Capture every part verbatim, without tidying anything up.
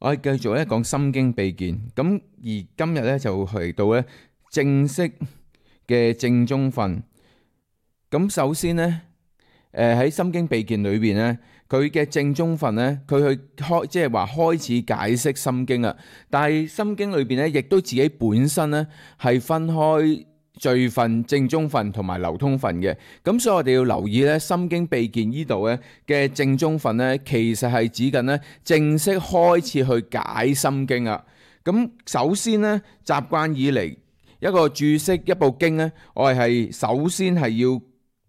我哋繼續咧講心經秘見，咁而今日咧就嚟到咧正式嘅正宗訓。咁首先咧，誒喺心經秘見裏邊咧，佢嘅正宗訓咧，佢去開即係話開始解釋心經啊。但係心經裏邊咧，亦都自己本身咧係分開序分、正宗分同埋流通分嘅。咁所以我哋要留意咧，心經秘見呢度咧嘅正宗分咧，其實係指緊咧正式開始去解心經啊。咁首先咧，習慣以嚟一個注釋一部經咧，我哋係首先係要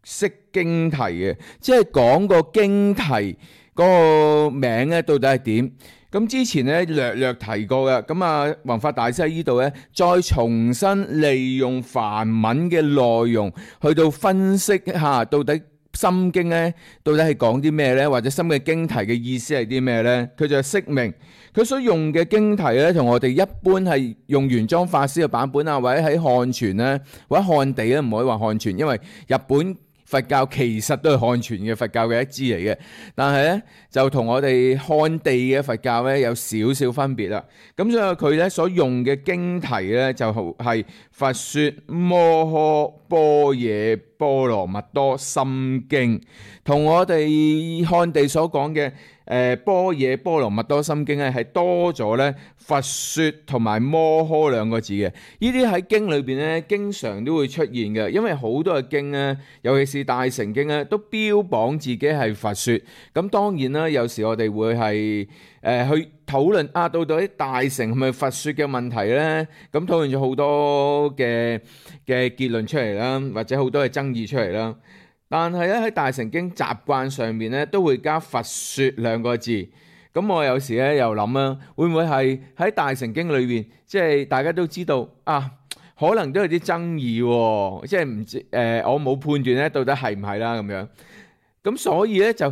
識經題嘅，即係講個經題嗰個名咧到底係點。咁之前咧略略提過嘅，咁啊弘法大師喺呢度咧再重新利用梵文嘅內容去到分析一下到底心經咧到底係講啲咩咧，或者心嘅經題嘅意思係啲咩咧？佢就釋明佢所用嘅經題咧，同我哋一般係用玄奘法師嘅版本啊，或者喺漢傳咧，或者漢地咧，唔可以話漢傳，因為日本佛教其實都係漢傳嘅佛教嘅一支嚟嘅，但係咧就同我哋漢地嘅佛教咧有少少分別啦。咁所以佢咧所用嘅經題咧就係佛說摩訶般若波羅蜜多心經，同我哋漢地所講嘅誒般若波羅蜜多心經咧係多咗咧佛說同埋摩訶兩個字嘅。呢啲喺經裏邊咧經常都會出現嘅，因為好多嘅經咧，尤其是大乘經咧，都標榜自己係佛說。咁當然啦，有時我哋會係誒、呃、去討論啊，到底大乘係咪佛說嘅問題咧？咁討論咗好多嘅嘅結論出嚟啦，或者好多嘅爭議出嚟啦。但係咧喺大乘經習慣上面咧都會加佛說兩個字。咁我有時咧又諗啊，會唔會係喺大乘經裏邊，即係大家都知道啊，可能都有啲爭議喎，即係唔知誒，我冇判斷咧到底係唔係啦咁樣。咁所以咧就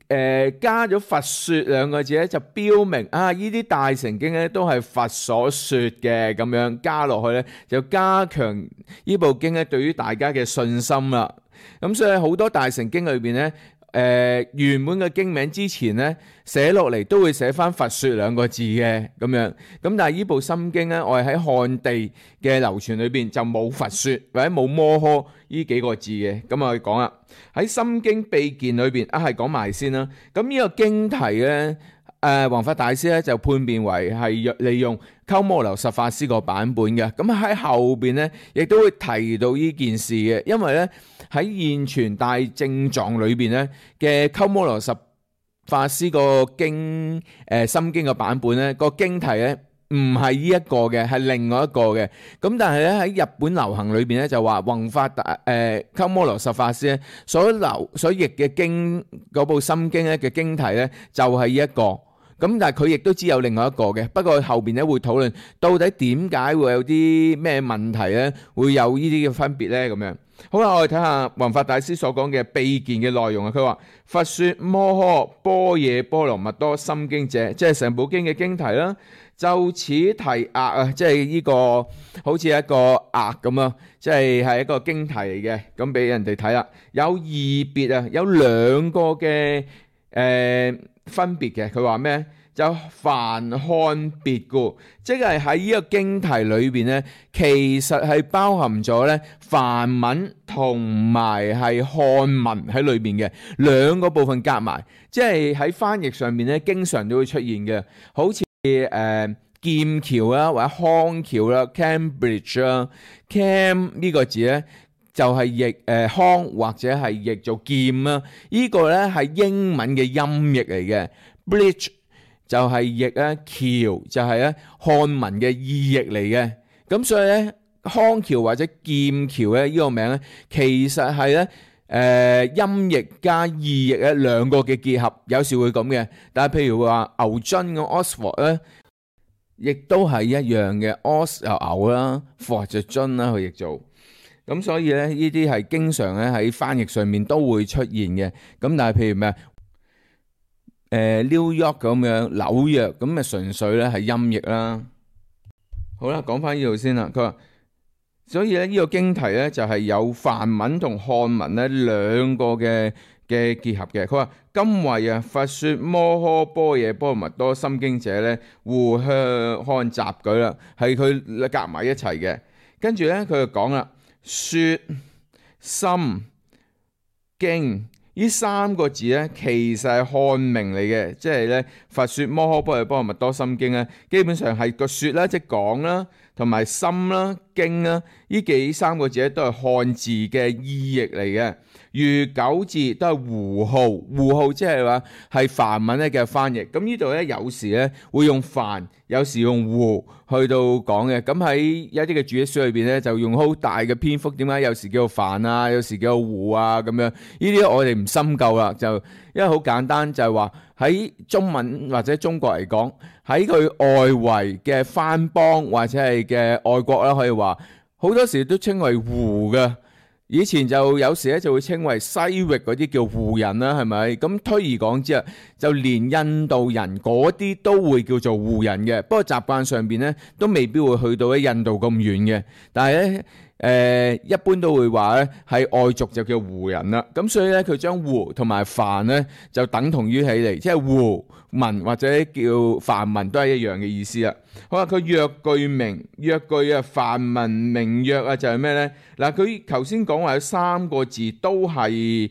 誒加咗佛說兩個字咧，就標明啊呢啲大乘經咧都係佛所說嘅咁樣，加落去咧就加強呢部經咧對於大家嘅信心啦。咁所以好多大乘經裏邊咧，誒原本嘅經名之前咧寫落嚟都會寫翻佛說兩個字嘅咁樣。咁但係呢部心經咧，我哋喺漢地嘅流傳裏邊就冇佛說或者冇摩訶呢幾個字嘅。咁我哋講啦，喺心經秘見裏邊啊，係講埋先啦。咁呢個經題咧，誒弘法大師咧就判別為係利用鳩摩羅什法師個版本嘅。咁喺後邊咧亦都會提到呢件事嘅，因為咧喺現傳大正藏裏邊咧嘅鳩摩羅什法師個經誒心經嘅版本咧，個經題咧唔係呢一個嘅，係另外一個嘅。咁但係咧喺日本流行裏邊咧就話弘法大誒鳩摩羅什法師咧所流所譯嘅經嗰部心經咧嘅經題咧就係呢一個。咁但係佢亦都知有另外一個嘅，不過後邊咧會討論到底點解會有啲咩問題咧，會有呢啲嘅分別咧咁樣。好啦，我哋睇下弘法大師所講嘅秘見嘅內容啊。佢話佛說摩訶般若波羅蜜多心經者，即係成部經嘅經題啦。就此題額啊，即係呢個好似一個額咁啊，即係係一個經題嚟嘅，咁俾人哋睇啦。有異別啊，有兩個嘅誒。呃分別嘅，佢話咩？就梵漢別故，即係喺呢個經題裏邊咧，其實係包含咗咧梵文同埋係漢文喺裏邊嘅兩個部分夾埋，即係喺翻譯上面咧，經常都會出現嘅，好似誒、呃、劍橋啦，或者康橋啦 ，Cambridge 啦 ，Cam 呢個字咧。就係譯誒康或者係譯做劍啦，呢個咧係英文嘅音譯嚟嘅。Bridge 就係譯咧橋，就係咧漢文嘅意譯嚟嘅。咁所以咧康橋或者劍橋咧呢個名咧，其實係咧誒音譯加意譯咧兩個嘅結合，有時會咁嘅。但係譬如話牛津嘅 Oxford 咧，亦都係一樣嘅 Os 就牛啦 ，Ford 就津啦，佢譯做。咁所以咧，呢啲係經常咧喺翻譯上面都會出現嘅。咁但係譬如咩誒 New York 咁樣紐約咁咪純粹咧係音譯啦。好啦，講翻呢度先啦。佢話，所以咧呢個經題咧就係有梵文同漢文咧兩個嘅嘅結合嘅。佢話今為啊，佛說摩訶般若波羅蜜多心經者咧，互向看雜舉啦，係佢夾埋一齊嘅。跟住咧，佢就講啦，說心經呢三個字咧，其實係漢名嚟嘅，即係咧佛說摩訶般若波羅蜜多心經咧，基本上係個說啦，即係講啦，同埋心啦、經啦，呢幾三個字咧都係漢字嘅意譯嚟嘅。如九字都係胡號，胡號即係話係梵文咧嘅翻譯。咁呢度咧有時咧會用梵，有時用胡去到講嘅。咁喺一啲嘅注釋書裏邊咧就用好大嘅篇幅。點解有時叫做梵啊，有時叫做胡啊咁樣？呢啲我哋唔深究啦，就因為好簡單，就係話喺中文或者中國嚟講，喺佢外圍嘅藩邦或者係嘅外國啦，可以話好多時都稱為胡嘅。以前就有時咧就會稱為西域嗰啲叫胡人啦，係咪？咁推而講之啊，就連印度人嗰啲都會叫做胡人嘅。不過習慣上邊咧都未必會去到喺印度咁遠嘅。但係咧誒，一般都會話咧係外族就叫胡人啦。咁所以咧佢將胡同埋梵咧就等同於起嚟，即係胡文或者叫梵文都係一樣嘅意思啦。好啦，佢藥具名，藥具啊，梵文名藥啊，就係咩咧？嗱，佢頭先講話有三個字都係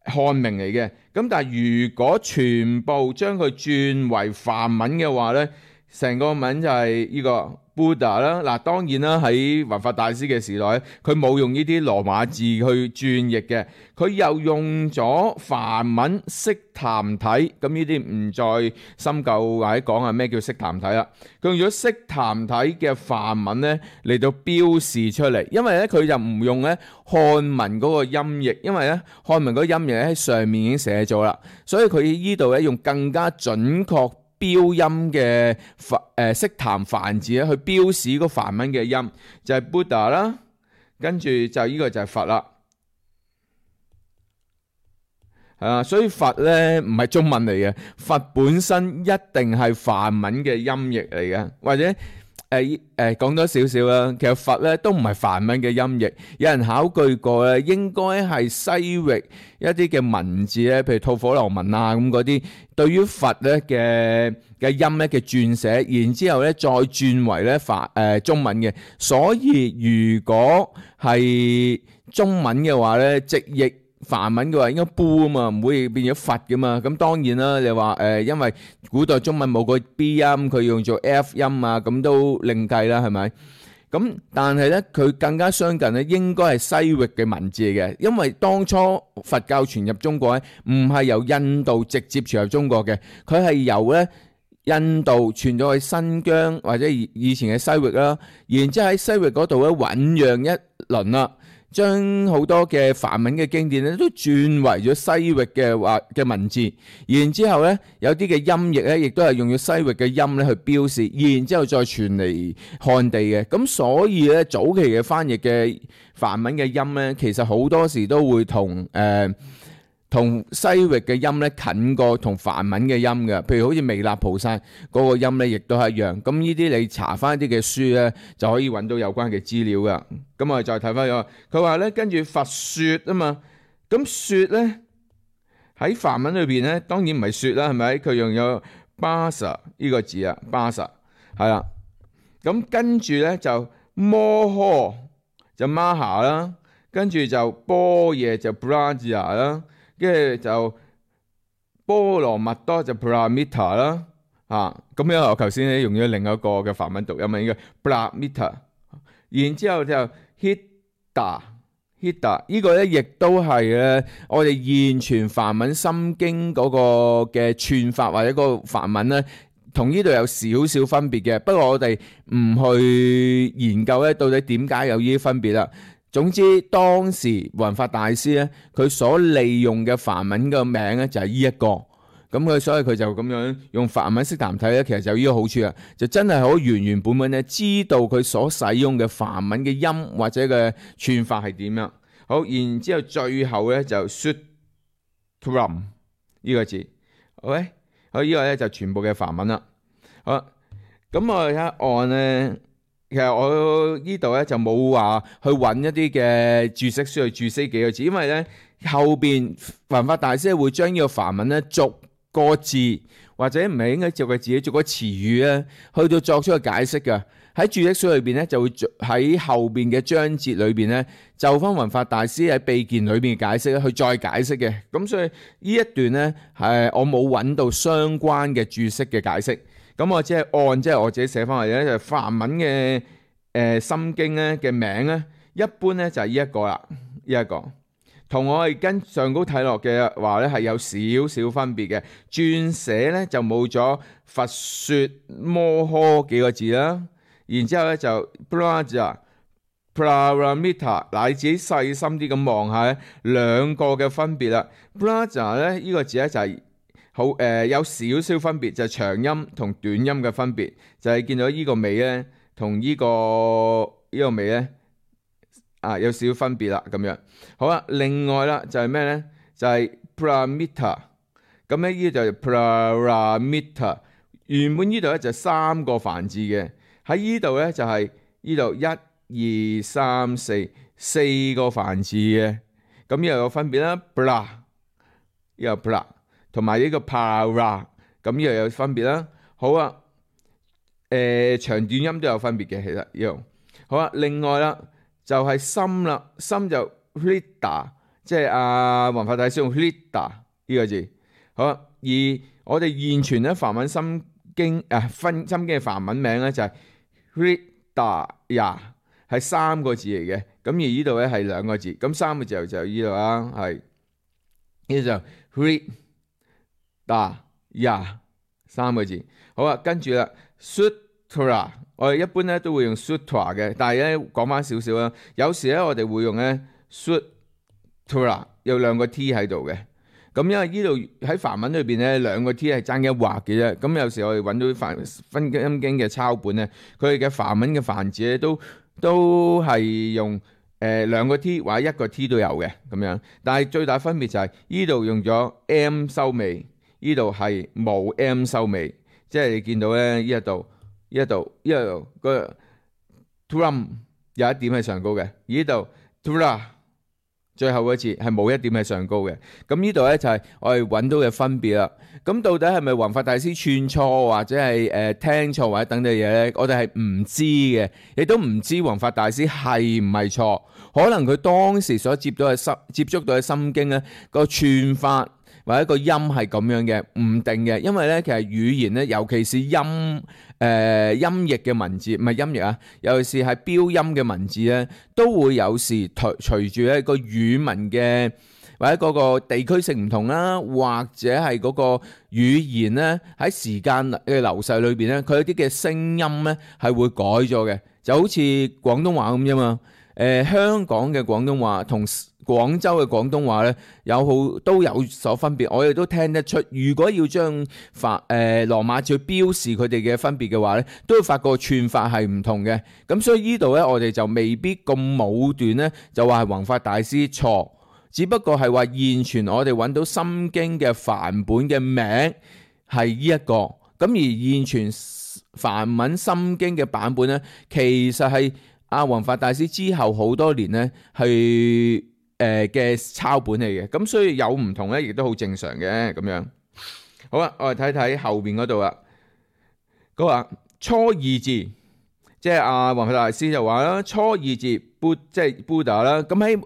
漢名嚟嘅，咁但係如果全部將佢轉為梵文嘅話咧，成個文就係呢個 Buddha 啦。嗱，當然啦，喺弘法大師嘅時代，佢冇用呢啲羅馬字去轉譯嘅，佢又用咗梵文悉檀體。咁呢啲唔再深究或者講係咩叫悉檀體啦。佢用咗悉檀體嘅梵文咧嚟到標示出嚟，因為咧佢就唔用咧漢文嗰個音譯，因為咧漢文嗰個音譯喺上面已經寫咗啦，所以佢呢度咧用更加準確標音嘅梵誒悉檀梵字咧去標示個梵文嘅音，就係 Buddha 啦，跟住就呢個就係佛啦，係啊，所以佛咧唔係中文嚟嘅，佛本身一定係梵文嘅音譯嚟嘅，或者誒誒講多少少啦，其實佛咧都唔係梵文嘅音譯，有人考據過咧，應該係西域一啲嘅文字咧，譬如吐火羅文啊咁嗰啲，對於佛咧嘅嘅音咧嘅轉寫，然之後咧再轉為咧梵誒中文嘅，所以如果係中文嘅話咧，直譯梵文嘅話應該煲啊嘛，唔會變咗佛噶嘛。咁當然啦，你話誒、呃，因為古代中文冇個 B 音，佢用做 F 音啊，咁都另計啦，係咪？咁但係咧，佢更加相近咧，應該係西域嘅文字嚟嘅，因為當初佛教傳入中國咧，唔係由印度直接傳入中國嘅，佢係由咧印度傳咗去新疆或者以前嘅西域啦，然之後喺西域嗰度咧醖釀一輪啦。將好多嘅梵文嘅經典咧都轉為咗西域嘅話嘅文字，然之後咧有啲嘅音譯咧亦都係用咗西域嘅音咧去標示，然之後再傳嚟漢地嘅。咁所以咧早期嘅翻譯嘅梵文嘅音咧，其實好多時都會同誒同西域嘅音咧近過同梵文嘅音嘅。譬如好似彌勒菩薩嗰個音咧，亦都係一樣。咁呢啲你查翻啲嘅書咧，就可以揾到有關嘅資料噶。咁我哋再睇翻咗，佢話咧跟住佛說啊嘛，咁說咧喺梵文裏邊咧，當然唔係說啦，係咪？佢用咗巴薩呢個字啊，巴薩係啦。咁跟住咧就摩訶就 Maha 啦，跟住就般若就 Brahma 啦，跟住就波羅蜜多就 Paramita 啦。啊，咁樣我頭先咧用咗另一個嘅梵文讀音啊，應該 Paramita。然之後就 Hita Hita 呢個咧，亦都係咧我哋現傳梵文心經嗰個嘅串法或者嗰個梵文咧，同呢度有少少分別嘅。不過我哋唔去研究咧，到底點解有呢啲分別啦。總之當時弘法大師咧，佢所利用嘅梵文嘅名咧就係呢一個。咁佢所以佢就咁樣用梵文悉檀體咧，其實就有呢個好處啊，就真係好原原本本咧，知道佢所使用嘅梵文嘅音或者嘅串法係點樣。好，然之後最後咧就 Sutram 呢個字，OK， 好，呢個咧就全部嘅梵文啦。好，咁我睇下按咧，其實我呢度咧就冇話去揾一啲嘅注釋書去注釋幾個字，因為咧後邊弘法大師會將呢個梵文咧逐個字，或者唔係應該逐個字，逐個詞語咧，去到作出個解釋嘅。喺注釋書裏邊咧，就會喺後邊嘅章節裏邊咧，就翻弘法大師喺秘鍵裏邊嘅解釋咧，去再解釋嘅。咁所以呢一段咧係我冇揾到相關嘅注釋嘅解釋。咁我只係按即係我自己寫翻嚟咧，就梵文嘅誒心經咧嘅名咧，一般咧就係呢一個啦，呢一個同我哋跟上高睇落嘅話咧係有少少分別嘅。轉寫咧就冇咗佛說摩訶幾個字啦。然之後咧就 Braja Paramita， 嗱你自己細心啲咁望下咧，兩個嘅分別啦。Braja 咧呢個字咧就係好誒有少少分別，就係長音同短音嘅分別，就係見到呢個尾咧同呢個呢個尾咧啊有少少分別啦咁樣。好啦，另外啦就係咩咧？就係 Paramita， 咁咧呢就係 Paramita。原本呢度咧就三個梵字嘅。喺呢度咧就係呢度一二三四四個梵字嘅，咁又有分別啦。bra 又 bra 同埋呢個 para， 咁又有分別啦。好啊，誒、呃、長短音都有分別嘅，其實呢度好啊。另外啦就係、是、心啦，心就 hrida， 即係阿弘法大師用 hrida 呢個字。好啊，而我哋現存咧梵文心經啊分心經嘅梵文名咧就係、是。Hridaya 係三個字嚟嘅，咁而呢度咧係兩個字，咁三個字就呢度啦，係呢就 Hridaya 三個字。好啊，跟住啦 Sutra， 我哋一般咧都會用 Sutra 嘅，但係咧講翻少少啦，有時咧我哋會用咧 Sutra 有兩個 T 喺度嘅。咁因為呢度喺梵文裏邊咧，兩個 T 係爭一畫嘅啫。咁有時我哋揾到梵分音經嘅抄本咧，佢哋嘅梵文嘅梵字咧都都係用誒、呃、兩個 T 或者一個 T 都有嘅咁樣。但係最大分別就係呢度用咗 M 收尾，呢度係冇 M 收尾，即係你見到咧呢一度呢一度呢度個 drum 有一點係上高嘅，呢度 dra。最後嗰次係冇一點係上高嘅，咁呢度咧就係我哋揾到嘅分別啦。咁到底係咪弘法大師串錯或者係誒、呃、聽錯或者等等嘢咧？我哋係唔知嘅，亦都唔知弘法大師係唔係錯。可能佢當時所接到嘅心接觸到嘅心經咧個串法或者個音係咁樣嘅，唔定嘅。因為咧其實語言咧，尤其是音誒、呃、音譯嘅文字，唔係音譯啊，尤其是係標音嘅文字咧，都會有時隨隨住一個語文嘅或者嗰個地區性唔同啦，或者係嗰個語言咧喺時間嘅流逝裏邊咧，佢有啲嘅聲音咧係會改咗嘅，就好似廣東話咁啫嘛。誒、呃、香港嘅廣東話同廣州嘅廣東話咧有好都有所分別，我哋都聽得出。如果要將法誒羅馬字標示佢哋嘅分別嘅話咧，都會發覺串法係唔同嘅。咁所以呢度咧，我哋就未必咁武斷咧，就話係弘法大師錯，只不過係話現存我哋揾到心經嘅梵本嘅名係呢一個。咁而現存梵文心經嘅版本咧，其實係阿弘法大師之後好多年咧係誒嘅抄本嚟嘅，咁所以有唔同咧，亦都好正常嘅咁樣。好啦，我哋睇睇後邊嗰度啦。佢話初二字，即係阿弘法大師就話啦，初二字 Buddha 即係 Buddha 啦。咁喺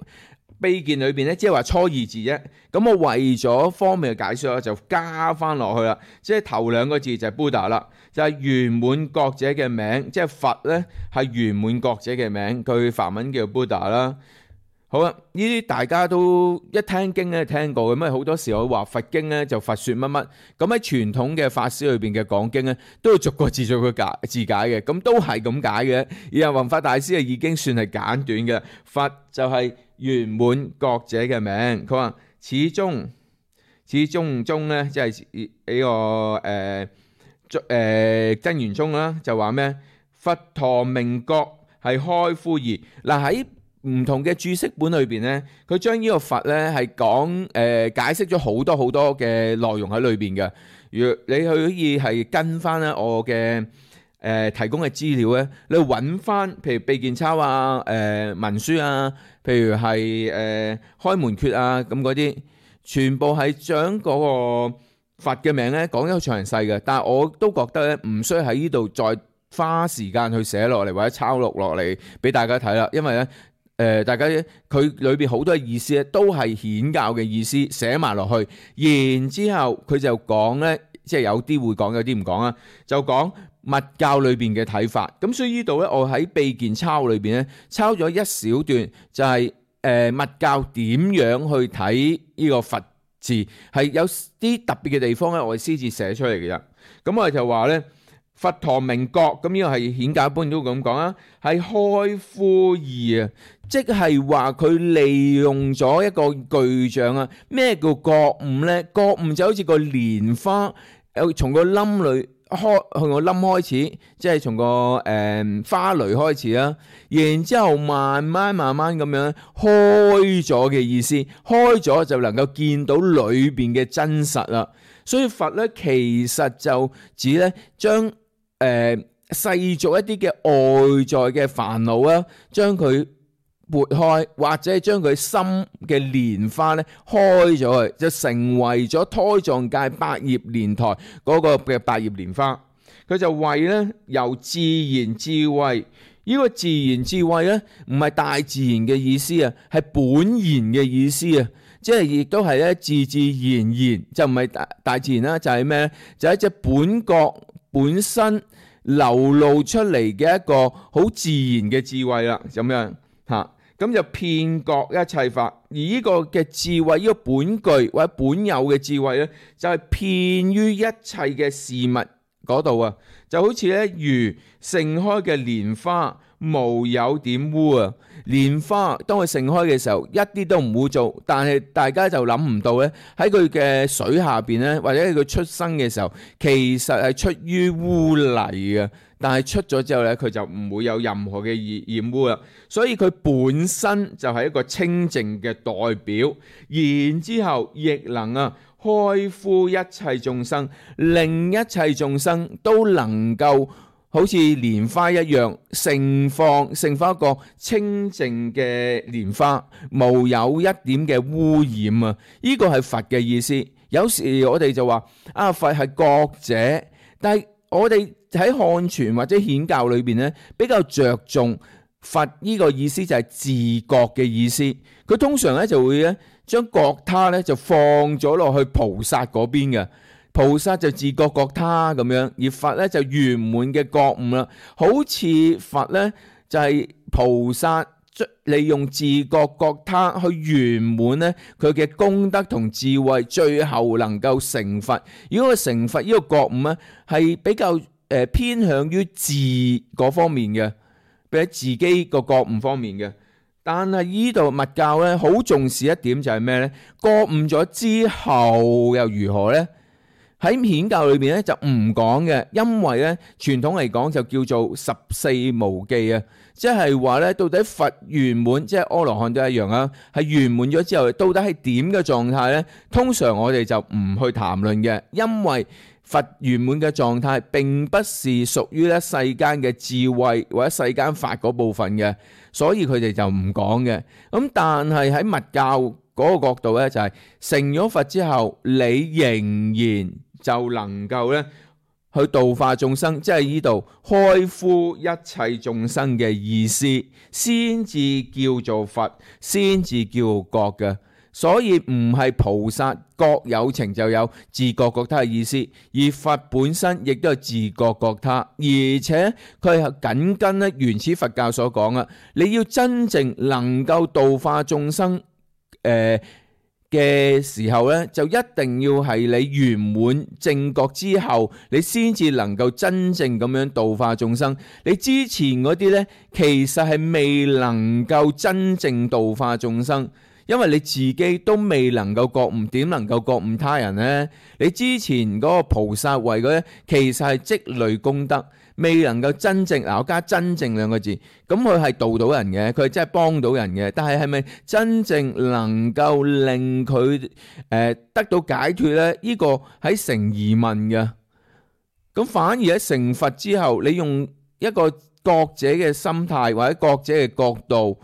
秘鍵裏邊咧，即係話初二字啫。咁我為咗方便嘅解說，就加翻落去啦。即係頭兩個字就係 Buddha 啦，就係圓滿覺者嘅名，即係佛咧係圓滿覺者嘅名，佢梵文叫 Buddha 啦。好啦，呢啲大家都一聽經咧聽過嘅，咁啊好多時我話佛經咧就佛說乜乜，咁喺傳統嘅法師裏邊嘅講經咧，都要逐個字逐個解字解嘅，咁都係咁解嘅。而弘法大師啊已經算係簡短嘅，佛就係圓滿覺者嘅名。佢話始終始終中咧，即係呢個誒誒真言宗啦，就話咩？佛陀明覺係開敷義。嗱喺唔同嘅注釋本裏邊咧，佢將呢個佛咧係講誒解釋咗好多好多嘅內容喺裏邊嘅。如果你可以係跟翻咧我嘅誒、呃、提供嘅資料咧，你揾翻譬如秘鍵抄啊、誒、呃、文書啊譬如係誒、呃、開門訣啊咁嗰啲，全部係將嗰個佛嘅名咧講得好詳細嘅。但係我都覺得咧唔需要喺呢度再花時間去寫落嚟或者抄錄落嚟俾大家睇啦，因為咧誒、呃、大家佢裏邊好多嘅意思咧都係顯教嘅意思寫埋落去，然之後佢就講咧，即係有啲會講，有啲唔講啊，就講密教裏邊嘅睇法。咁所以呢度咧，我喺秘鍵抄裏邊咧抄咗一小段，就係、是、誒、呃、密教點樣去睇呢個佛字，係有啲特別嘅地方咧，我哋先至寫出嚟嘅啫。咁我哋就話咧。佛陀名覺，咁呢個係顯教一般都咁講啊，係開敷義啊，即係話佢利用咗一個具象啊。咩叫覺悟呢？覺悟就好似個蓮花，有從個冧裏開，從個冧開始，即係從個誒、呃、花蕾開始啦。然之後慢慢慢慢咁樣開咗嘅意思，開咗就能夠見到裏邊嘅真實啦。所以佛咧其實就指咧將誒、呃、世俗一啲嘅外在嘅煩惱啊，將佢撥開，或者係將佢心嘅蓮花咧開咗去，就成為咗胎藏界百葉蓮台嗰個嘅百葉蓮花。佢就為咧由自然智慧，呢、這個自然智慧咧唔係大自然嘅意思啊，係本然嘅意思啊，即係亦都係咧自自然然，就唔係大大自然啦，就係咩咧？就係一隻本覺本身流露出嚟嘅一個好自然嘅智慧啦，咁樣嚇，咁就遍覺一切法。而呢個嘅智慧，呢、這個本具或者本有嘅智慧咧，就係、是、遍於一切嘅事物嗰度啊，就好似咧如盛開嘅蓮花，無有點污啊！蓮花當佢盛開嘅時候，一啲都唔污糟，但係大家就諗唔到咧，喺佢嘅水下邊咧，或者佢出生嘅時候，其實係出於污泥嘅。但係出咗之後咧，佢就唔會有任何嘅染染污啦。所以佢本身就係一個清淨嘅代表，然之後亦能啊開敷一切眾生，令一切眾生都能夠好似蓮花一樣盛放，盛放一個清淨嘅蓮花，無有一點嘅污染啊！呢個係佛嘅意思。有時我哋就話啊，佛係覺者，但係我哋喺漢傳或者顯教裏邊咧，比較着重佛呢個意思就係自覺嘅意思。佢通常咧就會咧將覺他咧就放咗落去菩薩嗰邊嘅。菩薩就自覺覺他咁樣，而佛咧就圓滿嘅覺悟啦。好似佛咧就係菩薩利用自覺覺他去圓滿咧佢嘅功德同智慧，最後能夠成佛。如果佢成佛呢個覺悟咧係比較誒偏向於自嗰方面嘅，比喺自己個覺悟方面嘅。但係呢度密教咧好重視一點就係咩咧？覺悟咗之後又如何咧？喺顯教裏邊咧就唔講嘅，因為咧傳統嚟講就叫做十四無記啊，即係話咧到底佛圓滿，即係阿羅漢都一樣啊，係圓滿咗之後到底係點嘅狀態咧？通常我哋就唔去談論嘅，因為佛圓滿嘅狀態並不是屬於咧世間嘅智慧或者世間法嗰部分嘅，所以佢哋就唔講嘅。咁但係喺密教嗰個角度咧，就係成咗佛之後，你仍然就能夠咧去度化眾生，即係呢度開敷一切眾生嘅意思，先至叫做佛，先至叫覺嘅。所以唔係菩薩覺有情就有自覺覺他嘅意思，而佛本身亦都係自覺覺他，而且佢係緊跟咧原始佛教所講啊，你要真正能夠度化眾生誒嘅時候咧，就一定要係你圓滿正覺之後，你先至能夠真正咁樣度化眾生。你之前嗰啲咧，其實係未能夠真正度化眾生。因為你自己都未能夠覺悟，點能夠覺悟他人呢？你之前嗰個菩薩位嗰啲，其實係積累功德，未能夠真正嗱，我加真正兩個字，咁佢係度到人嘅，佢係真係幫到人嘅。但係係咪真正能夠令佢誒、呃、得到解脫呢？呢、呢個喺成疑問嘅。咁反而喺成佛之後，你用一個覺者嘅心態或者覺者嘅角度，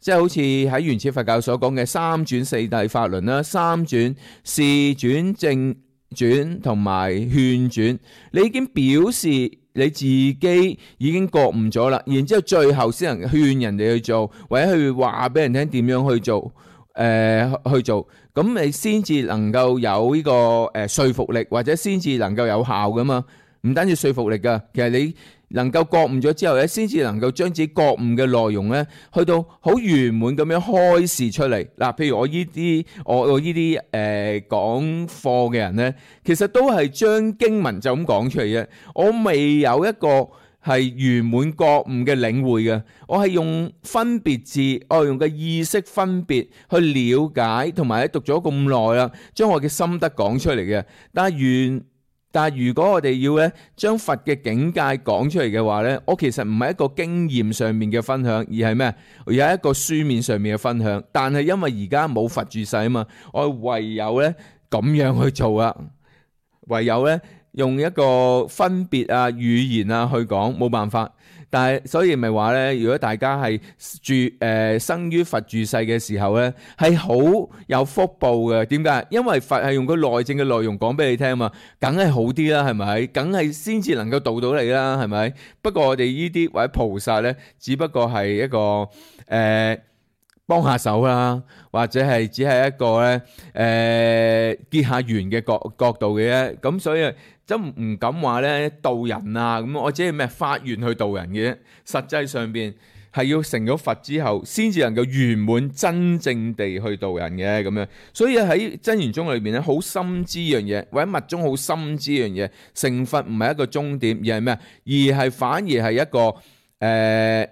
即係好似喺原始佛教所講嘅三轉四諦法輪啦，三轉示轉正轉同埋勸轉，你已經表示你自己已經覺悟咗啦，然之後最後先能勸人哋去做，或者去話俾人聽點樣去做，誒、呃、去做，咁你先至能夠有呢、這個誒、呃、說服力，或者先至能夠有效噶嘛。唔單止說服力噶，其實你能夠覺悟咗之後咧，先至能夠將自己覺悟嘅內容咧，去到好圓滿咁樣開示出嚟。嗱，譬如我呢啲我我呢啲誒講課嘅人咧，其實都係將經文就咁講出嚟嘅。我未有一個係圓滿覺悟嘅領會嘅，我係用分別字，我用嘅意識分別去了解，同埋咧讀咗咁耐啦，將我嘅心得講出嚟嘅。但係原但係如果我哋要咧將佛嘅境界講出嚟嘅話咧，我其實唔係一個經驗上面嘅分享，而係咩？而係一個書面上面嘅分享。但係因為而家冇佛住世啊嘛，我唯有咧咁樣去做啊，唯有咧用一個分別啊語言啊去講，冇辦法。但係所以咪話咧，如果大家係住誒、呃、生於佛住世嘅時候咧，係好有福報嘅。點解？因為佛係用個內證嘅內容講俾你聽啊嘛，梗係好啲啦，係咪？梗係先至能夠度到你啦，係咪？不過我哋呢啲或者菩薩咧，只不過係一個誒、呃、幫下手啦，或者係只係一個咧誒、呃、結下緣嘅角角度嘅啫。咁所以真唔敢話咧度人啊，咁我只係咩發願去度人嘅啫。實際上邊係要成咗佛之後，先至能夠圓滿真正地去度人嘅咁樣。所以喺真言宗裏邊咧，好深知呢樣嘢，或者密宗好深知呢樣嘢。成佛唔係一個終點，而係咩？而係反而係一個誒、呃、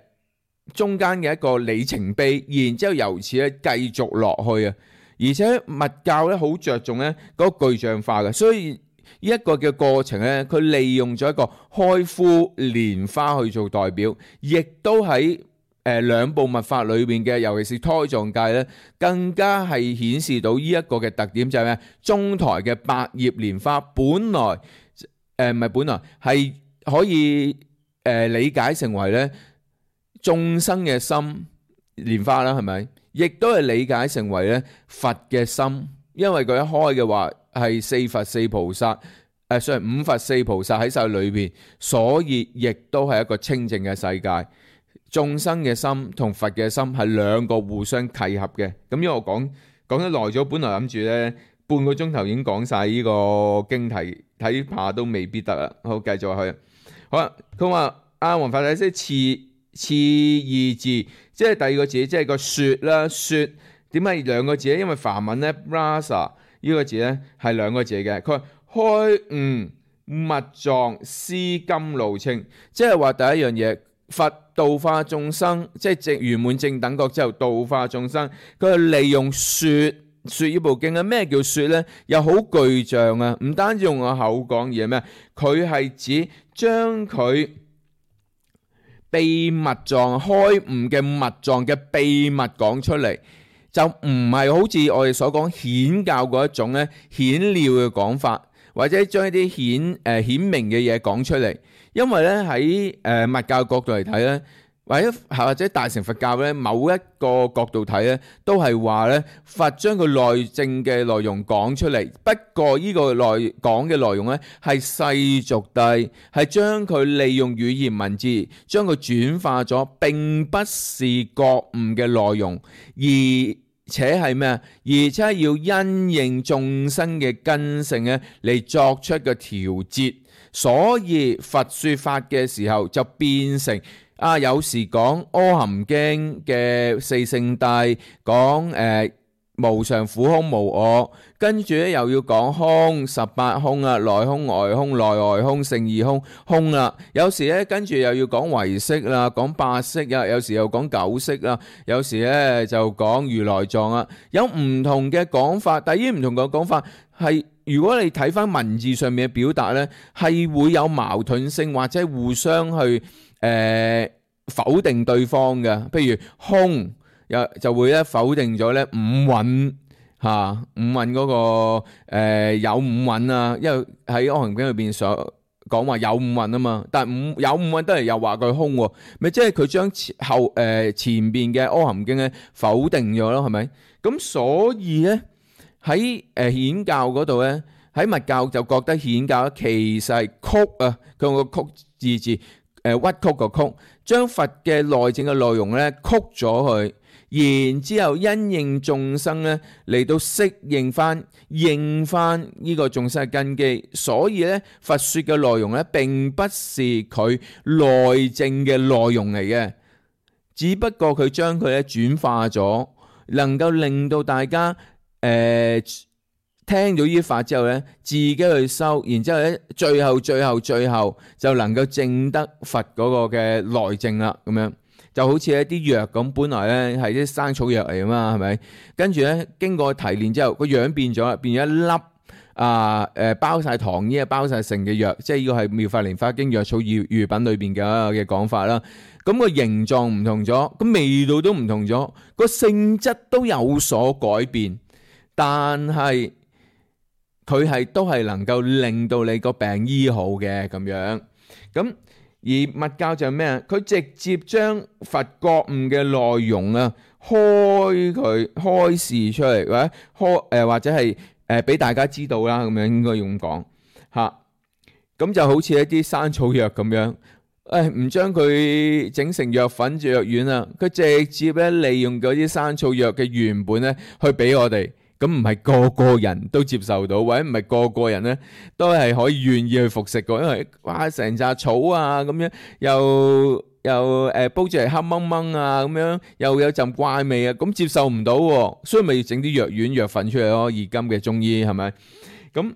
中間嘅一個里程碑，然之後由此咧繼續落去啊。而且密教咧好着重咧嗰個具象化嘅，所以呢一個嘅過程咧，佢利用咗一個開敷蓮花去做代表，亦都喺誒兩部密法裏邊嘅，尤其是胎藏界咧，更加係顯示到呢一個嘅特點，就係咩？中台嘅百葉蓮花，本來誒唔係本來係可以誒、呃、理解成為咧眾生嘅心蓮花啦，係咪？亦都係理解成為咧佛嘅心，因為佢一開嘅話係四佛四菩薩，誒，所以五佛四菩薩喺晒裏邊，所以亦都係一個清淨嘅世界。眾生嘅心同佛嘅心係兩個互相契合嘅。咁因為我講講得耐咗，本來諗住咧半個鐘頭已經講晒呢個經題，睇怕都未必得啦。好，繼續去。好啦，佢話阿弘法大師次次二字，即係第二個字，即係個說啦。說點解兩個字咧？因為梵文咧 rasa 呢個字咧係兩個字嘅。佢話開悟密藏思甘露清，即係話第一樣嘢，佛度化眾生，即係正圓滿正等覺之後度化眾生，佢係利用說說呢部經啊。咩叫說咧？又好具象啊！唔單止用個口講，而係咩？佢係指將佢秘密藏開悟嘅密藏嘅秘密講出嚟，就唔係好似我哋所講顯教嗰一種咧顯料嘅講法，或者將一啲顯誒顯明嘅嘢講出嚟。因為咧喺誒密教角度嚟睇咧，或者或者大乘佛教咧某一個角度睇咧，都係話咧佛將佢內證嘅內容講出嚟。不過呢個內講嘅內容咧係世俗諦，係將佢利用語言文字將佢轉化咗，並不是覺悟嘅內容，而且係咩啊？而且要因應眾生嘅根性咧嚟作出個調節。所以佛說法嘅時候就變成啊，有時講《阿含經》嘅四聖諦，講誒、呃、無常苦空無我，跟住咧又要講空十八空啊，內空外空內外空勝義空空啦。有時咧跟住又要講唯識啦，講八識啊，有時又講九識啦，有時咧就講如來藏啊，有唔同嘅講法。但係呢唔同嘅講法係，如果你睇翻文字上面嘅表達咧，係會有矛盾性或者互相去誒、呃、否定對方嘅。譬如空又就會咧否定咗咧五蘊吓，五蘊嗰、那個誒、呃、有五蘊啊，因為喺《阿含經》裏邊所講話有五蘊啊嘛，但係五有五蘊都係又話佢空喎，咪即係佢將後誒、呃、前邊嘅《阿含經》咧否定咗咯，係咪？咁所以咧喺誒顯教嗰度咧，喺密教就覺得顯教其實係曲啊，佢用個曲字字誒、呃、屈曲個曲，將佛嘅內證嘅內容咧曲咗佢。然之後因應眾生咧嚟到適應翻、應翻呢個眾生嘅根基，所以咧佛説嘅內容咧並不是佢內證嘅內容嚟嘅，只不過佢將佢咧轉化咗，能夠令到大家誒、呃、聽到呢啲法之後咧，自己去修，然之後咧最後最後最後就能夠證得佛嗰個嘅內證啦，咁樣。就好似一啲藥咁，本來咧係啲生草藥嚟啊嘛，係咪？跟住咧經過提煉之後，個樣變咗，變咗一粒啊誒包晒糖衣啊，包晒成嘅藥，即係呢個係《妙法蓮華經藥草喻喻品》裏邊嘅嘅講法啦。咁個形狀唔同咗，個味道都唔同咗，個性質都有所改變，但係佢係都係能夠令到你個病醫好嘅咁樣。咁而密教就係咩啊？佢直接將佛覺悟嘅內容啊，開佢開示出嚟，或者開誒或者係誒俾大家知道啦，咁樣應該咁講嚇。咁就好似一啲生草藥咁樣，誒唔將佢整成藥粉、藥丸啊，佢直接咧利用嗰啲生草藥嘅原本咧去俾我哋。咁唔係個個人都接受到，或者唔係個個人咧都係可以願意去服食嘅，因為哇成紮草啊咁樣，又又誒煲住嚟黑掹掹啊咁樣，又有陣怪味啊，咁接受唔到，所以咪要整啲藥丸、藥粉出嚟咯。現今嘅中醫係咪？咁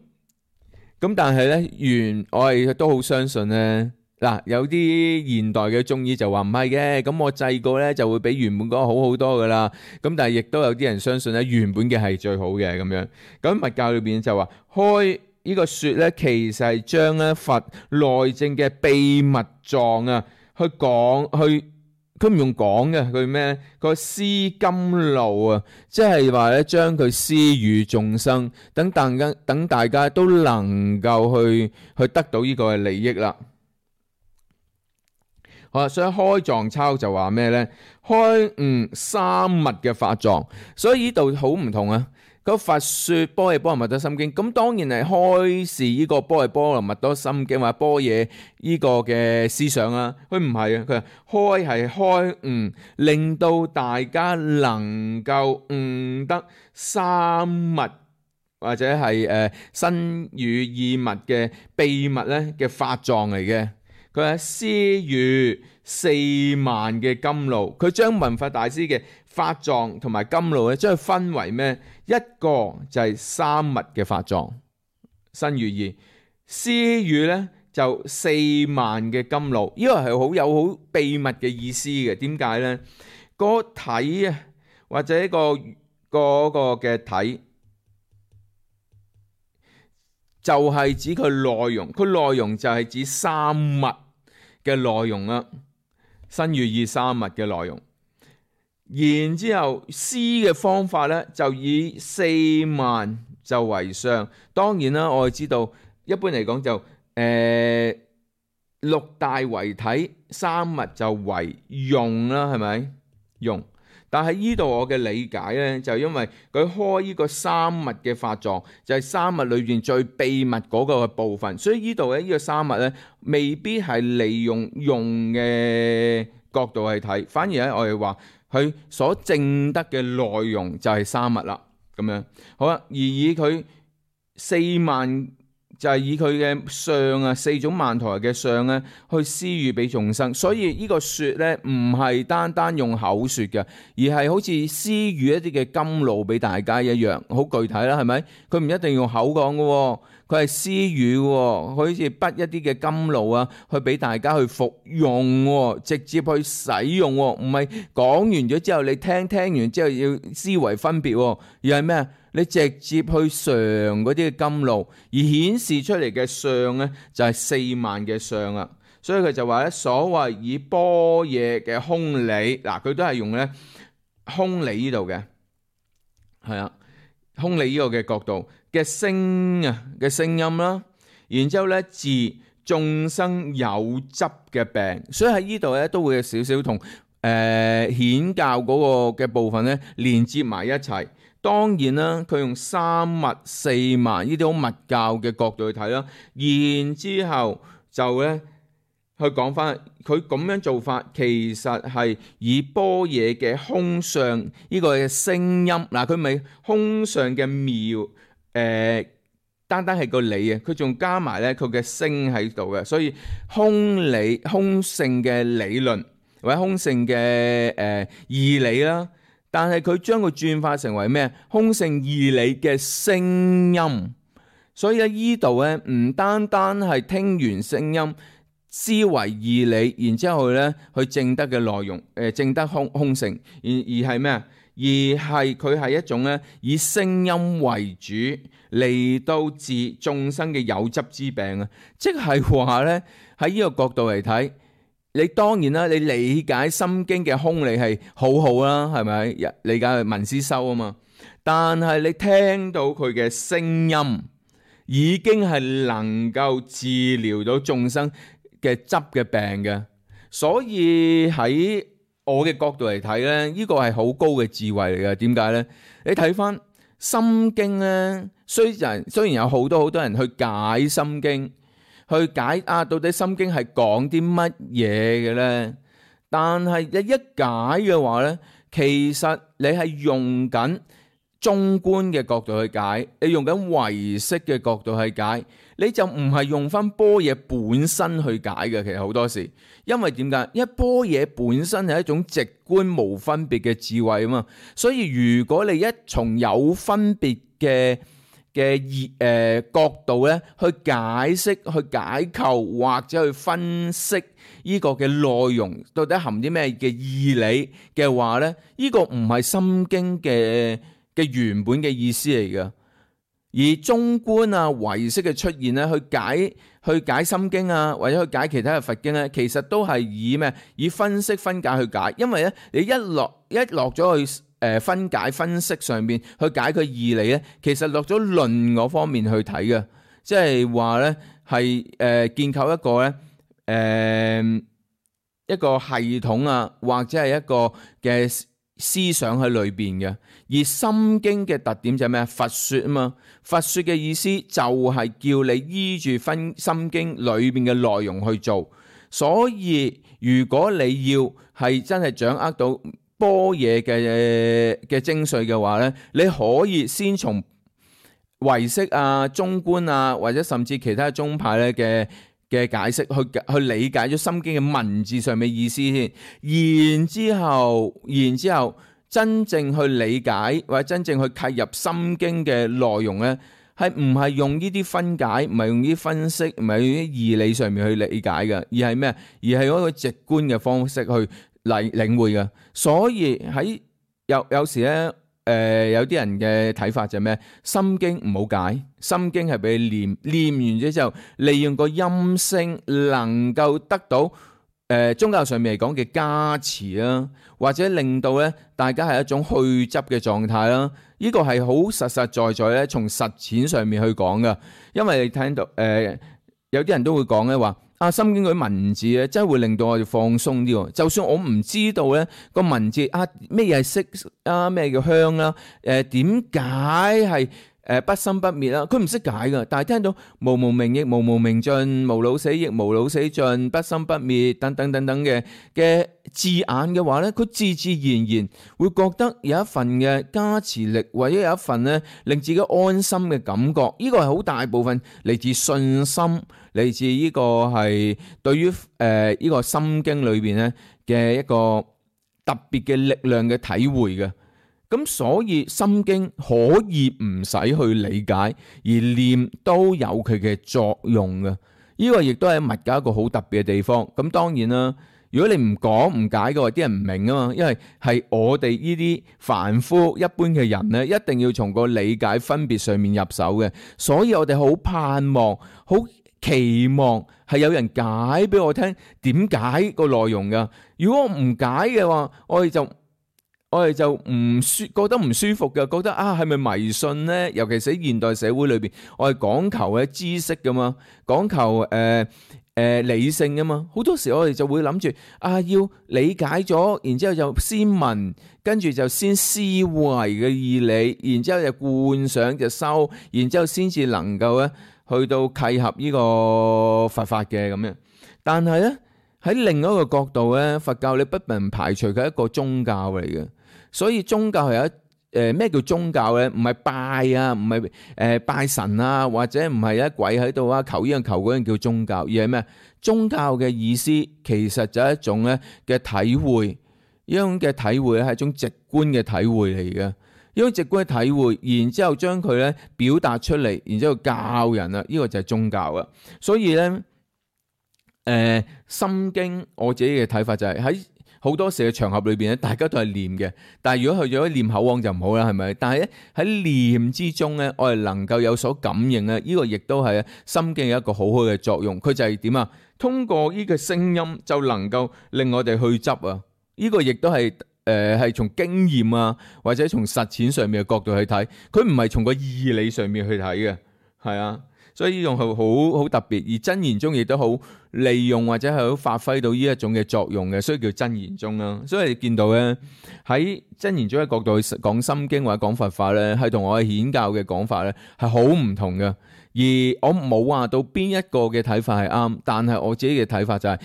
咁但係咧，原我係都好相信咧。嗱，有啲現代嘅中醫就話唔係嘅，咁我製過咧就會比原本嗰個好好多噶啦。咁但係亦都有啲人相信咧原本嘅係最好嘅咁樣。咁密教裏邊就話開呢個說咧，其實係將咧佛內證嘅秘密狀啊，去講去，佢唔用講嘅，佢咩？佢施甘露啊，即係話咧將佢施予眾生，等大家等大家都能夠去去得到呢個嘅利益啦。好啦，所以開藏抄就話咩咧？開悟三密嘅法藏，所以呢度好唔同啊！個佛說般若波羅蜜多心經，咁當然係開示呢個般若波羅蜜多心經或者般若呢個嘅思想啊。佢唔係啊，佢話開係開悟，令到大家能夠悟得三密或者係誒身語意密嘅秘密咧嘅法藏嚟嘅。佢係施予四萬嘅甘露，佢將文法大師嘅法藏同埋甘露咧，將佢分為咩？一個就係三密嘅法藏，身語意；施予咧就四萬嘅甘露，呢個係好有好秘密嘅意思嘅。點解咧？個體啊，或者一個嗰個嘅體，就係指佢內容，佢內容就係指三密嘅內容啦，身語意三密嘅內容。然之後施嘅方法咧，就以四萬就為上。當然啦，我哋知道一般嚟講就誒、呃、六大為體，三密就為用啦，係咪用？但係呢度我嘅理解咧，就因為佢開呢個三密嘅法藏，就係、是、三密裏邊最秘密嗰個嘅部分，所以呢度咧呢個三密咧，未必係利用用嘅角度去睇，反而咧我哋話佢所證得嘅內容就係三密啦，咁樣好啦。而以佢四萬就係以佢嘅相啊，四種曼陀羅嘅相咧，去施予俾眾生。所以呢個說咧，唔係單單用口說嘅，而係好似施予一啲嘅甘露俾大家一樣，好具體啦，係咪？佢唔一定用口講嘅，佢係施予嘅，佢好似滗一啲嘅甘露啊，去俾大家去服用，直接去使用，唔係講完咗之後你聽，聽完之後要思維分別，而係咩啊？你直接去嘗嗰啲嘅甘露，而顯示出嚟嘅相咧，就係四萬嘅相啦。所以佢就話咧，所謂以般若嘅空理，嗱佢都係用咧空理呢度嘅，係啊，空理呢個嘅角度嘅聲啊嘅聲音啦，然之後咧字眾生有執嘅病。所以喺呢度咧都會有少少同誒顯教嗰個嘅部分咧連接埋一齊。當然啦，佢用三密四密呢啲好密教嘅角度去睇啦，然之後就咧去講翻佢咁樣做法，其實係以般若嘅空相呢個嘅聲音，嗱佢咪空相嘅妙誒、呃，單單係個理啊，佢仲加埋咧佢嘅聲喺度嘅，所以空理空性嘅理論或者空性嘅誒義理啦。但係佢將佢轉化成為咩？空性義理嘅聲音。所以喺呢度咧，唔單單係聽完聲音，思維義理，然之後咧去證得嘅內容，誒、呃、證得空空性，而而係咩啊？而係佢係一種咧以聲音為主嚟到治眾生嘅有執之病啊！即係話咧喺呢個角度嚟睇。你當然啦，你理解心經嘅空理係好好啦，係咪？理解係文思修啊嘛。但係你聽到佢嘅聲音，已經係能夠治療到眾生嘅執嘅病嘅。所以喺我嘅角度嚟睇咧，呢個係好高嘅智慧嚟嘅。點解咧？你睇翻心經咧，雖然雖然有好多好多人去解心經。去解啊，到底心經係講啲乜嘢嘅咧？但係你一解嘅話咧，其實你係用緊中觀嘅角度去解，你用緊唯識嘅角度去解，你就唔係用翻般若本身去解嘅。其實好多時，因為點解？因為般若本身係一種直觀無分別嘅智慧啊嘛，所以如果你一從有分別嘅嘅意誒角度咧，去解釋、去解構或者去分析呢個嘅內容，到底含啲咩嘅義理嘅話咧，呢個唔係心經嘅嘅原本嘅意思嚟嘅。而中觀啊、唯識嘅出現咧，去解去解心經啊，或者去解其他嘅佛經咧，其實都係以咩？以分析分解去解，因為咧你一落一落咗去。誒分解分析上面去解佢義理咧，其實落咗論嗰方面去睇嘅，即係話咧係誒建構一個咧誒、呃、一個系統啊，或者係一個嘅思想喺裏邊嘅。而心經嘅特點就係咩？佛說啊嘛，佛說嘅意思就係叫你依住分心經裏邊嘅內容去做。所以如果你要係真係掌握到般若嘅嘅精髓嘅話咧，你可以先從唯識啊、中觀啊，或者甚至其他宗派咧嘅嘅解釋去去理解咗心經嘅文字上面意思先，然之後，然之後真正去理解或者真正去契入心經嘅內容咧，係唔係用呢啲分解，唔係用呢啲分析，唔係用啲義理上面去理解嘅，而係咩？而係嗰個直觀嘅方式去嚟領會嘅。所以喺有有時咧，誒、呃、有啲人嘅睇法就係咩？心經唔好解，心經係俾你念，念完咗之後，利用個音聲能夠得到誒、呃、宗教上面嚟講嘅加持啦，或者令到咧大家係一種去執嘅狀態啦。呢、這個係好實實在在咧，從實踐上面去講噶。因為你聽到誒、呃、有啲人都會講咧話。啊，心經嗰啲文字咧，真係會令到我哋放鬆啲喎。就算我唔知道咧個文字啊，咩嘢係色啊，咩叫香啦，誒點解係誒不生不滅啦？佢唔識解噶，但係聽到無無明亦無無明盡，無老死亦無老死盡，不生不滅等等等等嘅嘅字眼嘅話咧，佢自自然然會覺得有一份嘅加持力，或者有一份咧令自己安心嘅感覺。呢個係好大部分嚟自信心。嚟自呢個係對於誒呢個心經裏邊咧嘅一個特別嘅力量嘅體會嘅，咁所以心經可以唔使去理解，而念都有佢嘅作用嘅。呢個亦都係密教一個好特別嘅地方。咁當然啦，如果你唔講唔解嘅話，啲人唔明啊嘛，因為係我哋呢啲凡夫一般嘅人咧，一定要從個理解分別上面入手嘅。所以我哋好盼望，好期望係有人解俾我聽點解個內容噶。如果我唔解嘅話，我哋就我我哋就唔舒覺得唔舒服嘅，覺得啊係咪迷信呢？尤其是喺現代社會裏邊，我係講求嘅知識噶嘛，講求誒誒、呃呃、理性噶嘛。好多時我哋就會諗住啊，要理解咗，然之後就先問，跟住就先思維嘅義理，然之後就觀想就修，然之後先至能夠咧去到契合呢個佛法嘅咁樣。但係咧喺另一個角度咧，佛教你不能排除佢係一個宗教嚟嘅。所以宗教係有一誒咩叫宗教咧？唔係拜啊，唔係誒拜神啊，或者唔係一鬼喺度啊，求呢樣求嗰樣叫宗教，而係咩？宗教嘅意思其實就係一種咧嘅體會，呢種嘅體會咧係一種直觀嘅體會嚟嘅，呢種直觀嘅體會，然之後將佢咧表達出嚟，然之後教人啊，呢個就係宗教啊。所以咧，誒、呃《心經》我自己嘅睇法就係喺好多時嘅場合裏邊咧，大家都係念嘅。但係如果去咗念口簧就唔好啦，係咪？但係咧喺念之中咧，我哋能夠有所感應咧，呢個亦都係《心經》有一個好好嘅作用。佢就係點啊？通過呢個聲音就能夠令我哋去執啊！呢個亦都係誒係從經驗啊，或者從實踐上面嘅角度去睇，佢唔係從個義理上面去睇嘅，係啊。所以呢種係好好特別，而真言宗亦都好利用或者係好發揮到呢一種嘅作用嘅，所以叫真言宗啦。所以你見到咧喺真言宗嘅角度去講心經或者講佛法咧，係同我嘅顯教嘅講法咧係好唔同嘅。而我冇話到邊一個嘅睇法係啱，但係我自己嘅睇法就係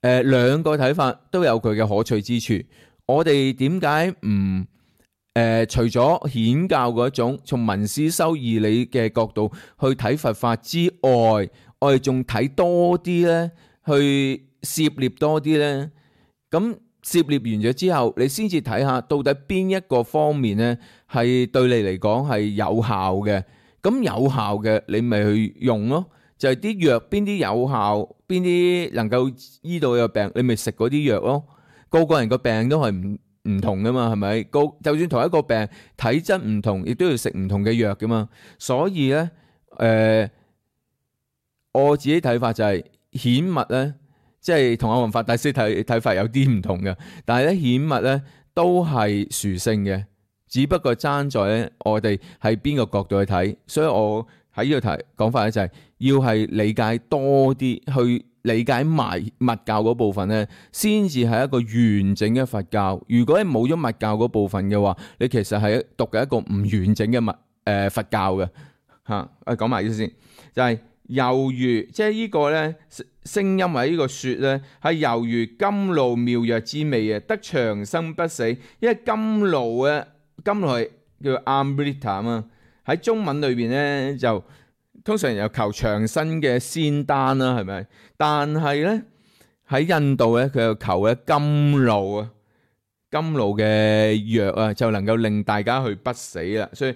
誒兩個睇法都有佢嘅可取之處。我哋點解唔？誒、呃，除咗顯教嗰種從文思修義理嘅角度去睇佛法之外，我哋仲睇多啲咧，去涉獵多啲咧。咁涉獵完咗之後，你先至睇下到底邊一個方面咧係對你嚟講係有效嘅。咁有效嘅，你咪去用咯。就係啲藥邊啲有效，邊啲能夠醫到嘅病，你咪食嗰啲藥咯。個個人個病都係唔唔同噶嘛，係咪？個就算同一個病體質唔同，亦都要食唔同嘅藥噶嘛。所以咧，誒、呃，我自己睇法就係顯密咧，即係同阿弘法大師睇睇法有啲唔同嘅。但係咧，顯密咧都係殊勝嘅，只不過爭在咧我哋喺邊個角度去睇。所以我喺呢度提講法咧就係要係理解多啲去。理解埋密教嗰部分咧，先至係一個完整嘅佛教。如果你冇咗密教嗰部分嘅話，你其實係讀嘅一個唔完整嘅密誒、呃、佛教嘅嚇。誒講埋呢先，就係、是、猶如即係呢個咧聲音或者呢個説咧，係猶如甘露妙藥之味嘅，得長生不死。因為甘露咧，甘露係叫 Amrita 啊嘛，喺中文裏邊咧就。通常有求長生嘅仙丹啦，係咪？但係咧喺印度咧，佢又求咧甘露啊，甘露嘅藥啊，就能夠令大家去不死啦。所以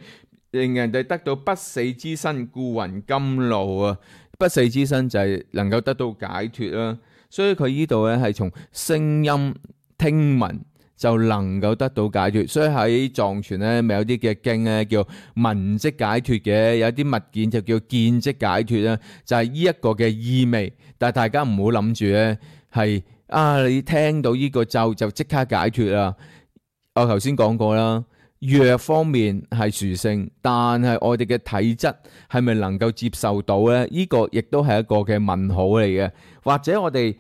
令人哋得到不死之身，故云甘露啊。不死之身就係能夠得到解脫啦。所以佢呢度咧係從聲音聽聞。就能夠得到解脫，所以喺藏傳咧，咪有啲嘅經咧叫聞即解脫嘅，有啲物件就叫見即解脫啦，就係呢一個嘅意味。但係大家唔好諗住咧係啊，你聽到呢個咒就即刻解脫啦。我頭先講過啦，藥方面係殊勝，但係我哋嘅體質係咪能夠接受到咧？呢個亦都係一個嘅問號嚟嘅，或者我哋。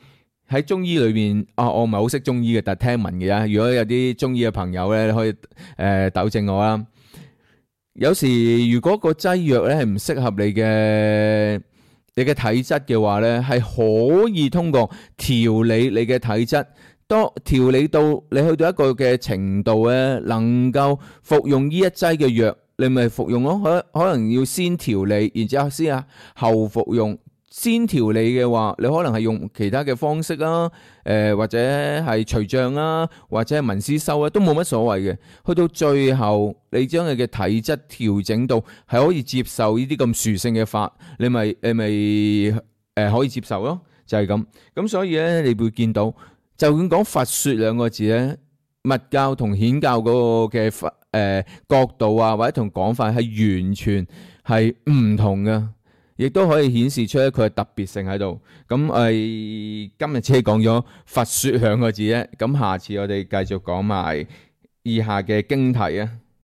喺中醫裏面，啊，我唔係好識中醫嘅，但係聽聞嘅啫。如果有啲中醫嘅朋友咧，可以誒糾正我啦。有時如果個劑藥咧係唔適合你嘅你嘅體質嘅話咧，係可以通過調理你嘅體質，當調理到你去到一個嘅程度咧，能夠服用呢一劑嘅藥，你咪服用咯。可可能要先調理，然之後先啊後服用。先調理嘅話，你可能係用其他嘅方式啊，誒、呃、或者係除障啊，或者係文思修啊，都冇乜所謂嘅。去到最後，你將你嘅體質調整到係可以接受呢啲咁殊勝嘅法，你咪你咪誒、呃、可以接受咯，就係、是、咁。咁所以咧，你會見到，就算講佛說兩個字咧，密教同顯教嗰個嘅佛誒角度啊，或者同講法係完全係唔同嘅。亦都可以顯示出佢嘅特別性喺度。咁我哋今日只係講咗佛說兩個字啫。咁下次我哋繼續講埋以下嘅經題啊。